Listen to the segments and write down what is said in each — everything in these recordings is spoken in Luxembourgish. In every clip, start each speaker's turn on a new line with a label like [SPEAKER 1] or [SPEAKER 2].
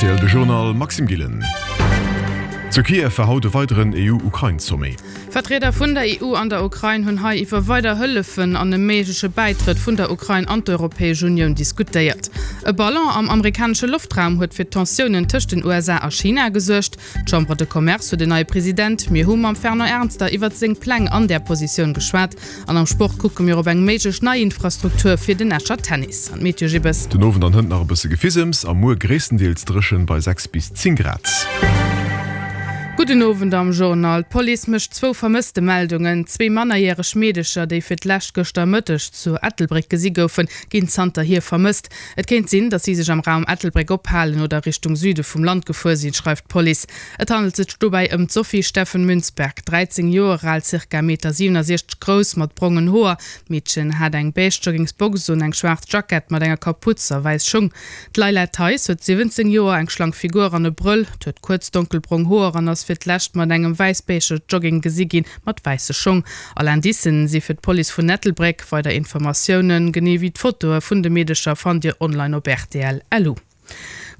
[SPEAKER 1] Rtl De Journal, Maxime Gillen. Zu Kiew war haut e weideren EU-Ukrain-Sommet.
[SPEAKER 2] Vertrieder vun der EU an der Ukrain hunn hei iwwer weider Hëllefen an e méigleche Bäitrëtt vun der Ukrain an d'Europäesch Unioun diskutéiert. E Ballon am amerikanesche Loftraum huet fir Tensiounen tëscht den USA a China gesuergt. D'Chambre de Commerce huet en neie President. Mir hu mam Fernand Ernster iwwert seng Pläng an där Positioun geschwat. An am Sport kucke mir op eng méiglech nei Infrastruktur fir den Escher Tennis. An d'Meteo Gibbes.
[SPEAKER 1] Den Owend an hënt nach e bësse Gefisems a muer gréisstendeels dréchen bei 6 bis 10 Grad.
[SPEAKER 2] Gudden Owend am Journal. D'Police mécht zwou Vermësstemeldungen. Zwee mannerjäreg Meedecher, déi fir d'lescht gëschter Mëtteg zu Ettelbréck gesi goufen, ginn zanterhier vermësst. Et kéint sinn, datt si sech am Raum Ettelbréck ophalen oder Richtung Süde vum Land gefuer sinn, schreift d'Police. Et handelt sech dobäi ëm d'Sophie Steffen Münzberg, 13 Joer al, zirka Meter 67 grouss, mat brongen Hoer. D'Meedchen hat eng beige Joggingsbox un, eng schwaarz Jackett mat enger Kaputz a wäiss Schung. D'Leila Theis huet 17 Joer, eng schlank Figur an e Brëll, huet kuerz donkelbrong Hoer an ass fir d'lescht mat engem wäiss-beige Jogging gesi ginn mat wäisse Schong. All Indicen si fir d'Police vun Ettelbréck. Weider Informatiounen, genee wéi d'Fotoe vun de Meedecher fannt Dir online op rtl. Lu.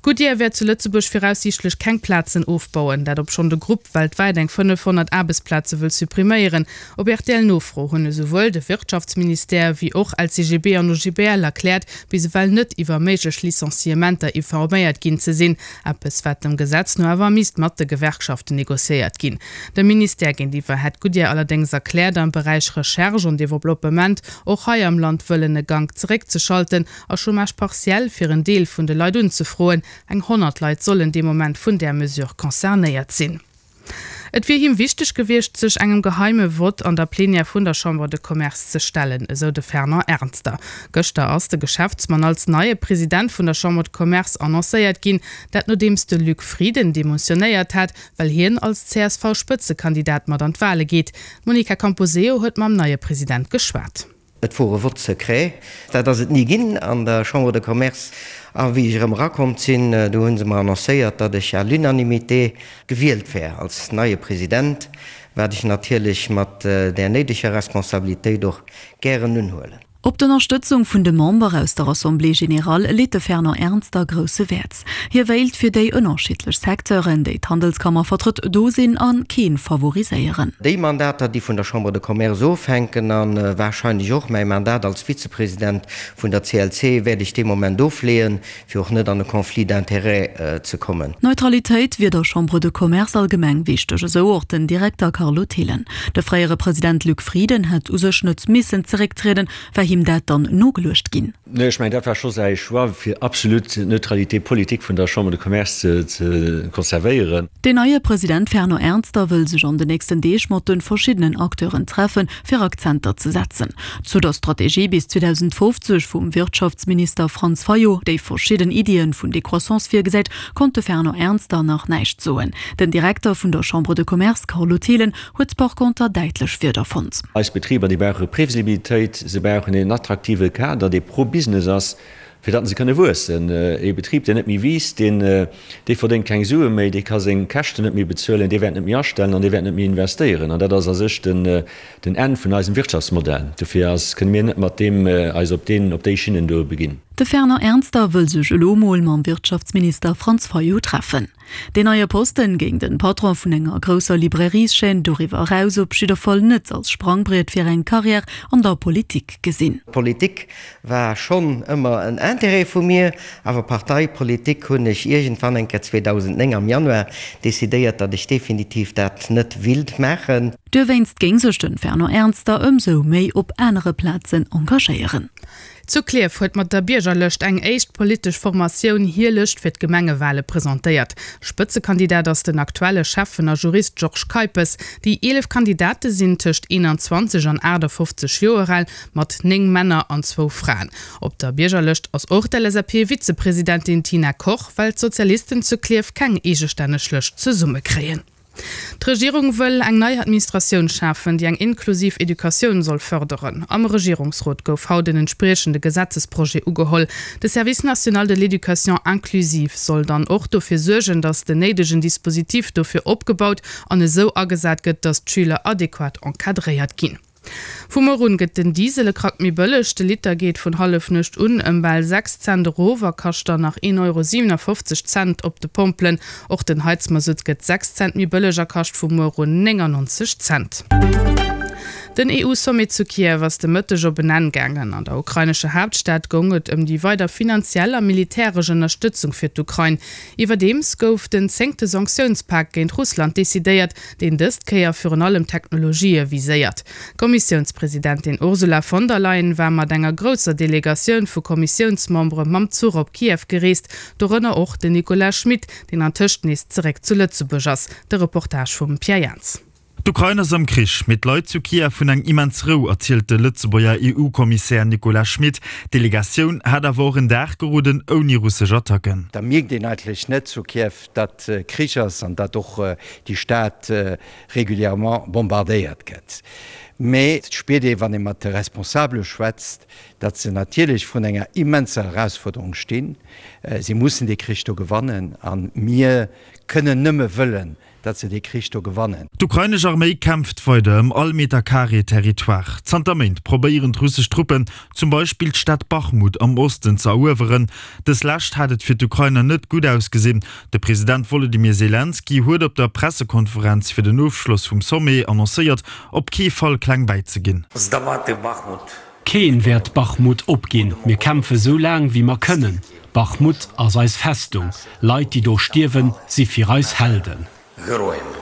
[SPEAKER 2] Goodyear wäert zu Lëtzebuerg viraussiichtlech keng Plazen ofbauen, dat obschonn de Grupp weltwäit eng 500 Aarbechtsplaze wëll suppriméieren. Op RTL-Nofro hunn esouwuel de Wirtschaftsministère wéi och LCGB an OGBL erkläert, bis ewell net iwwer méiglech Licenciementer informéiert ginn ze sinn. Eppes, wat dem Gesetz no awer misst mat de Gewerkschaften negociéiert ginn. Dem Ministère géintiwwer hätt Goodyear allerdéngs erkläert, am Beräich Recherche an Developpement och hei am Land wëllen e Gank zeréckzeschalten a Chômage partiel fir en Deel vun de Leit unzefroen. Eng 100 Leit sollen dee Moment vun där Mesure concernéiert sinn. Et wier him wichteg gewiescht, sech engem geheime Vott an der Plenière vun der Chambre de Commerce ze stellen, esou de Fernand Ernster. Gëschter ass de Geschäftsmann als neie President vun der Chambre de Commerce annoncéiert ginn, dat nodeems de Luc Frieden demissionéiert hat, well hien als CSV-Spëtzekandidat mat an d'Wale geet. D'Monica Camposeo huet mam neie President geschwat.
[SPEAKER 3] Et wor e Vote secret. Dat ass et ni ginn an der Chambre de Commerce. A wéi ech erëm erakomm sinn, do hu se mer annoncéiert, datt ech à l'unanimité gewielt wär als neie President, wat ech natierlech mat där néideger Responsabilitéit och gären unhuelen.
[SPEAKER 4] Op d'Ënnerstëtzung vun de Member aus der Assemblée générale leet de Fernand Ernster grousse Wäert. Hie wéilt fir déi ënnerschiddlech Secteuren, déi d'Handelskammer vertrëtt, do sinn a keen favoriséieren.
[SPEAKER 3] Déi Mandater, déi vun der Chambre de Commerce ofhänken, a warscheinlech och mäi Mandat als Vizepresident vun der CLC, wäert ech dee Moment ofleeën, fir och net an e Conflit d'intérêts ze kommen.
[SPEAKER 4] Neutralitéit wier der Chambre de Commerce allgemeng wichteg, esou och den Direkter Carlo Thelen. De fréiere President Luc Frieden hätt u sech net missen zerécktrieden, war him dat dann nogeluecht ginn?
[SPEAKER 5] Nee, ech mengen, dat war scho säi Choix, fir absolut d'Neutralité politique vun der Chambre de Commerce ze konservéieren.
[SPEAKER 4] Deen neie President Fernand Ernster wëll sech an de nächsten Deeg mat de verschiddenen Acteuren treffen, fir Akzenter ze setzen. Zu der Strategie bis 2050 vum Wirtschaftsminister Franz Fayot, déi verschidden Iddien vun Décroissance virgesäit, konnt de Fernand Ernster nach näischt soen. Den Direkter vun der Chambre de Commerce Carlo Thelen huet par conter däitlech Wierder fonnt.
[SPEAKER 5] Eis Betriber, déi brauche Previsibilitéit, se brauchen een attraktive Kader, dee pro Business ass, fir datt se kënne wuessen. Ee Betrib, deen net méi wiisst, deen, dee verdéngt keng Sue méi, dee ka seng Käschten net méi bezuelen, dee wäert net méi astellen an dee wäert net méi investéieren. An dat ass a sech den, den Enn vun eisem Wirtschaftsmodell. Dofir ass, kënne mir net mat deem eis op deen, op déi Schinnen do beginn.
[SPEAKER 4] De Fernand Ernster wëll sech elo mol mam Wirtschaftsminister Franz Fayot treffen. Deen neie Posten géing den Patron vun enger grousser Librairieschaîne doriwwer eraus op jidder Fall net als Sprangbriet fir eng Carrière an der Politik gesinn.
[SPEAKER 3] Politik war schonn ëmmer en Intérêt vu mir, awer Parteipolitik hunn ech iergendwann eng Kéier 2009 am Januar decidéiert, datt ech definitiv dat net willt maachen.
[SPEAKER 4] Dowéinst géing sech den Fernand Ernster ëmsou méi op anere Plazen engagéieren.
[SPEAKER 2] Zu Klierf huet mat der Biergerlëscht eng éischt politesch Formatioun hir Lëscht fir d'Gemengewale presentéiert. Spëtzekandidat ass den aktuelle Schäffen a Jurist Georges Keipes. Déi 11 Kandidate sinn tëscht 21 an 58 Joer al, mat 9 Männer an zwou Fraen. Op der Biergerlëscht ass och d'LSAP-Vizepresidentin Tina Koch, well d'Sozialisten zu Klierf keng eegestänneg Lëscht zesummekréien. D'Regierung wëll eng nei Administratioun schafen, déi eng inklusiv Educatioun soll fërderen. Am Regierungsrot gouf haut en entspriechende Gesetzesprojet ugeholl. De Service national de l'éducation inclusive soll dann och dofir suergen, datt den néidegen Dispositif dofir opgebaut an esou agesat gëtt, datt d'Schüler adequat encadréiert ginn. Vu muer un gëtt den Diesel e Krack méi bëlleg. De Liter geet vun Hallefnuecht un ëm bal 6 Cent erof a kascht dann nach 1,57 Euro Cent op de Pompelen. Och den Heizmasutt gëtt 6 Cent méi bëlleg a kascht vu muer un 99 Cent. Den EU-Sommet zu Kiew ass de Mëtteg op en Enn gaangen. An der ukrainescher Haaptstad goung et ëm déi weider finanziell a militäresch Ënnerstëtzung fir d'Ukrain. Iwwerdeems gouf den zéngte Sanktiounspak géint Russland decidéiert, deen dëst Kéier virun allem Technologië viséiert. D'Kommissiounspresidentin Ursula von der Leyen war mat enger grousser Delegatioun vu Kommissiounsmembere mam Zuch op Kiew gereest, dorënner och den Nicolas Schmit, deen antëscht nees zeréck zu Lëtzebuerg ass. De Reportage vum Pierre Jans.
[SPEAKER 6] D'Ukrain ass am Krich, mee d'Leit zu Kiew hunn eng immens Rou, erzielt de Lëtzebuerger EU-Kommissär Nicolas Schmit. D'Delegatioun hat awer och en Dag geroden ouni russesch Attacken.
[SPEAKER 7] Da mierkt een eigentlech net zu Kiew, datt Krich ass an datt och déi Stad régulièrement bombardéiert gëtt. Mee et spiert ee, wann ee mat de Responsabele schwätzt, datt se natierlech vrun enger immenser Erausfuerderung stinn. Si mussen dee Krich do gewannen a mir kënnen nëmme wëllen, datt se dee Krich do gewannen.
[SPEAKER 6] D'ukrainesch Arméi kämpft weider ëm all Meter Carré Territoire. Zanter Méint probéieren d'russesch Truppen zum Beispill d'Stad Bachmut am Osten ze erueweren. Dës Lescht hat et fir d'Ukrainer net gutt ausgesinn. De President Wolodymyr Selenskyj huet op der Pressekonferenz fir den Ofschloss vum Sommet annoncéiert, op kee Fall kleng bäizeginn.
[SPEAKER 8] Keen wäert Bachmut opginn. Mir kämpfe sou laang wéi mer kënnen. Bachmut ass eis Festung. Leit déi do stierwen, si fir eis Helden.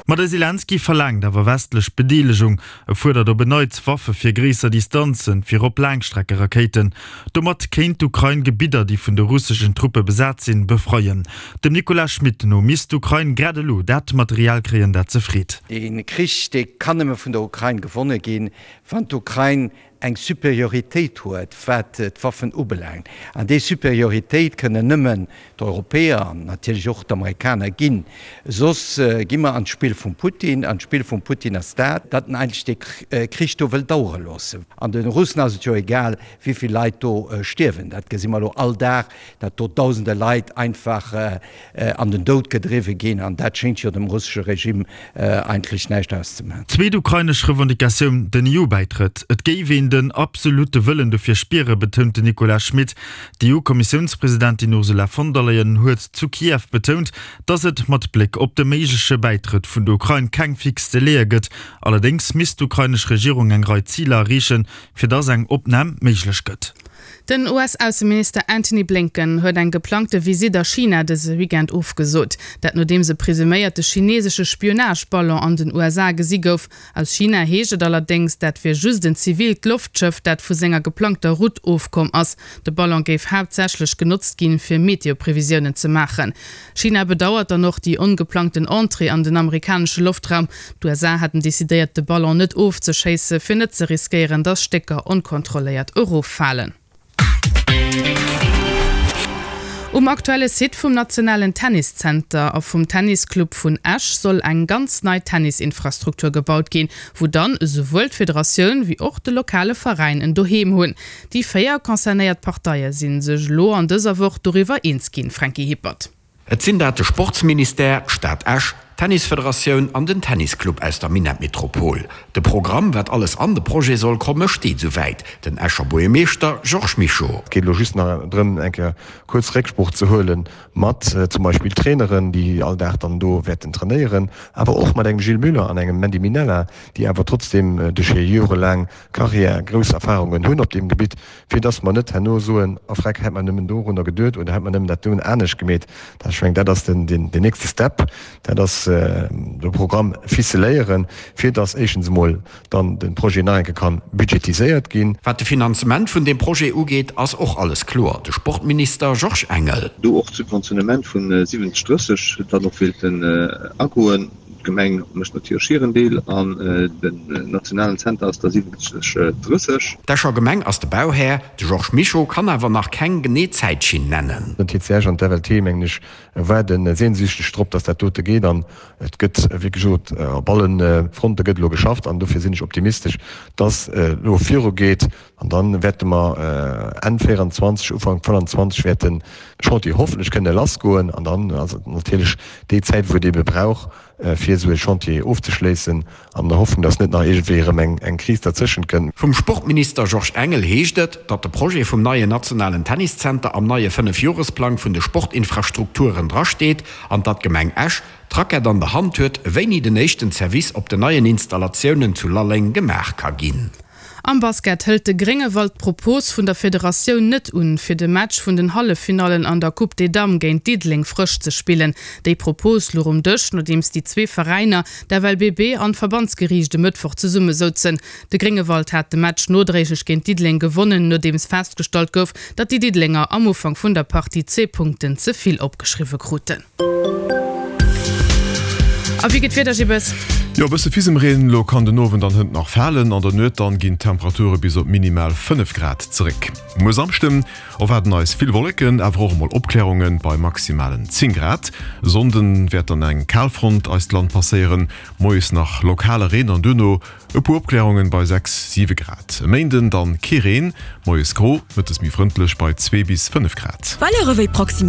[SPEAKER 6] Ma de Selenskyj verlaangt awer westlech Bedeelegung. E fuerdert op en Neits Waffe fir gréisser Distanzen, virop Laangstreckerakéiten. Domat kéint d'Ukrain Gebidder, déi vun de russeschen Truppe besat sinn, befreien. Dem Nicolas Schmit no misst d'Ukrain grad elo dat Material kréien, dat se freet.
[SPEAKER 7] Dee Krich, dee kann nëmme vun der Ukrain gewonne ginn, wann d'Ukrain eng Superioritéit huet, wat d'Waffen ubelaangt. An déi Superioritéit kënnen nëmmen d'Europäer an natierlech och d'Amerikaner ginn. Soss gi mer an d'Spill vum Putin. An d'Spill vum Putin ass dat, datt en eigentlech dee Krich do wëll dauere loossen. An de Russen ass et jo egal, wéi vill Leit do stierwen. Dat gesi mer elo all Dag, datt do dausende Leit einfach an den Doud gedriwwe ginn, an dat schéngt jo dem russesche Regime eigentlech näischt auszemaachen.
[SPEAKER 6] Zweet ukrainesch Revendicatioun, den EU-Bäitrëtt. Et géif een den absolutte Wëllen dofir spieren, betount den Nicolas Schmit. D'EU-Kommissiounspresidentin Ursula von der Leyen huet zu Kiew betount, datt et mat Bléck op de méigleche Bäitrëtt vun der Ukrain keng fix Délaië gëtt. Allerdéngs misst d'ukrainesch Regierung eng Rei Ziler erreechen, fir datt eng Opnam méiglech gëtt.
[SPEAKER 2] Den US-Ausseminister Antony Blinken huet eng geplangte Visitt a China dëse Weekend ofgesot. Dat nodeems e presuméierte chinesesche Spionageballon an den USA gesi gouf. Aus China heescht et allerdéngs, dat wier just en zivilt Loftschëff, dat vu senger geplangter Route ofkomm ass. De Ballon géif haaptsächlech genotzt ginn, fir Meteoprevisiounen ze maachen. China bedauert dann och déi ongeplangten Entrée an den amerikanesche Loftraum. D'USA haten decidéiert, de Ballon net ofzeschéisse fir net ze riskéieren, datt Stécker onkontrolléiert eroffalen. Um aktuelle Site vum nationalen Tenniszenter a vum Tennisclub vun Esch soll eng ganz nei Tennisinfrastruktur gebaut ginn, wou dann esouwuel d'Federatioun wéi och de lokale Veräin en Doheem hunn. Déi 4 concernéiert Parteie si sech elo an dëser Woch doriwwer eens ginn, Franky Hippert.
[SPEAKER 9] Et sinn dat de Sportsministère, d'Stad Esch, d'Tennisfederatioun an den Tennisclub aus der Minettmetropol. De Programm, wat alles an de Projet soll komme, steet esouwäit. Den Escher Buergermeeschter Georges Mischo.
[SPEAKER 1] Et geet elo just nach drëm, eng Kéier kuerz Récksprooch ze huele mat zum Beispill Traineren, déi all Dag dann do wäerten trainéieren, awer och mat engem Gilles Muller an engem Mandy Minella, déi awer trotzdeem duerch hir jorelaang Carrière grouss Erfahrungen hunn op deem Gebitt, fir dass mer net herno soen, a freck, hätt mer nëmmen dorunner geduet oder hätt mer nëmmen dat doen anescht gemeet. Dat, ech mengen, dat ass den, den, den nächste Step, dat ass de Programm ficeléieren, fir dass éischtens emol dann de Projet nach eng Kéier ka budgetiséiert ginn.
[SPEAKER 9] Wat de Finanzement vun deem Projet ugeet, ass och alles kloer. De Sportminister Georges Engel.
[SPEAKER 10] Do och d'Subventionnement vu 70, 30 dann och wéilten agoen. D'Gemeng mécht natierlech hiren Deel an den nationalen Zenter ass da 70, 30.
[SPEAKER 9] D'Escher Gemeng ass de Bauhär, de Georges Mischo kann awer nach keng genee Zäitschinn nennen.
[SPEAKER 1] Den TCH an d'FLT, mengen ech, waarde sehnsüchteg drop, dass dat dote geet an et gëtt, wéi gesot, op alle Fronte gëtt elo geschafft an dofir sinn ech optimistesch, dass et elo virugeet. An dann wäerte mer Enn 24, Ufank 25 wäert de Chantier hoffentlech kënne lassgoen. An dann ass et natierlech déi Zäit, wou et eebe brauch, fir esou e Chantier ofzeschléissen, an der Hoffnung, datt net nach iergendwéi erëm eng Kris derzëschent kënnt.
[SPEAKER 9] Vum Sportminister Georges Engel heescht et, datt de Projet vum neien nationalen Tenniszenter am neie Fënnefjoresplang vun de Sportinfrastrukturen drasteet an datt d'Gemeng Esch d'Rackett an der Hand huet, wéini den éischten Service op den neien Installatiounen zu Lalleng gemaach ka ginn.
[SPEAKER 2] Am Basket hëlt de Gréngewald d'Propos vun der Federatioun net un, fir de Match vun den Halleffinallen an der Coupe des Dames géint Diddeleng frësch ze spillen. Déi Propos luch um Dësch, nodeems déi zwee Veräiner, d'FLBB an d'Verbandsgeriicht e Mëttwoch zesumme souzen. De Gréngewald hat de Match nodréiglech géint Diddeleng gewonnen, nodeems festgestallt gouf, datt déi Diddelenger am Ufank vun der Partie zwee Punkten ze vill opgeschriwwe kruten. A wéi gëtt d'Wieder, Gibbes?
[SPEAKER 11] Jo, e bësse Fisemreen elo kann den Owend an hënt nach falen. An der Nuet dann ginn d'Temperature bis op minimal 5 Grad zeréck. Muer Samschden erwaarden eis vill Wolleken, awer och emol Opklärunge bei maximalen 10 Grad. E Sonnden wäert dann eng Kalfront eist Land passéieren, moies nach lokale Reen an duerno e puer Opklärungen bei 6, 7 Grad. E Méinden dann kee Reen, moies gro, mëttes méi frëndlech bei 2 bis 5 Grad.
[SPEAKER 12] Valeuren wéi Proximitéit.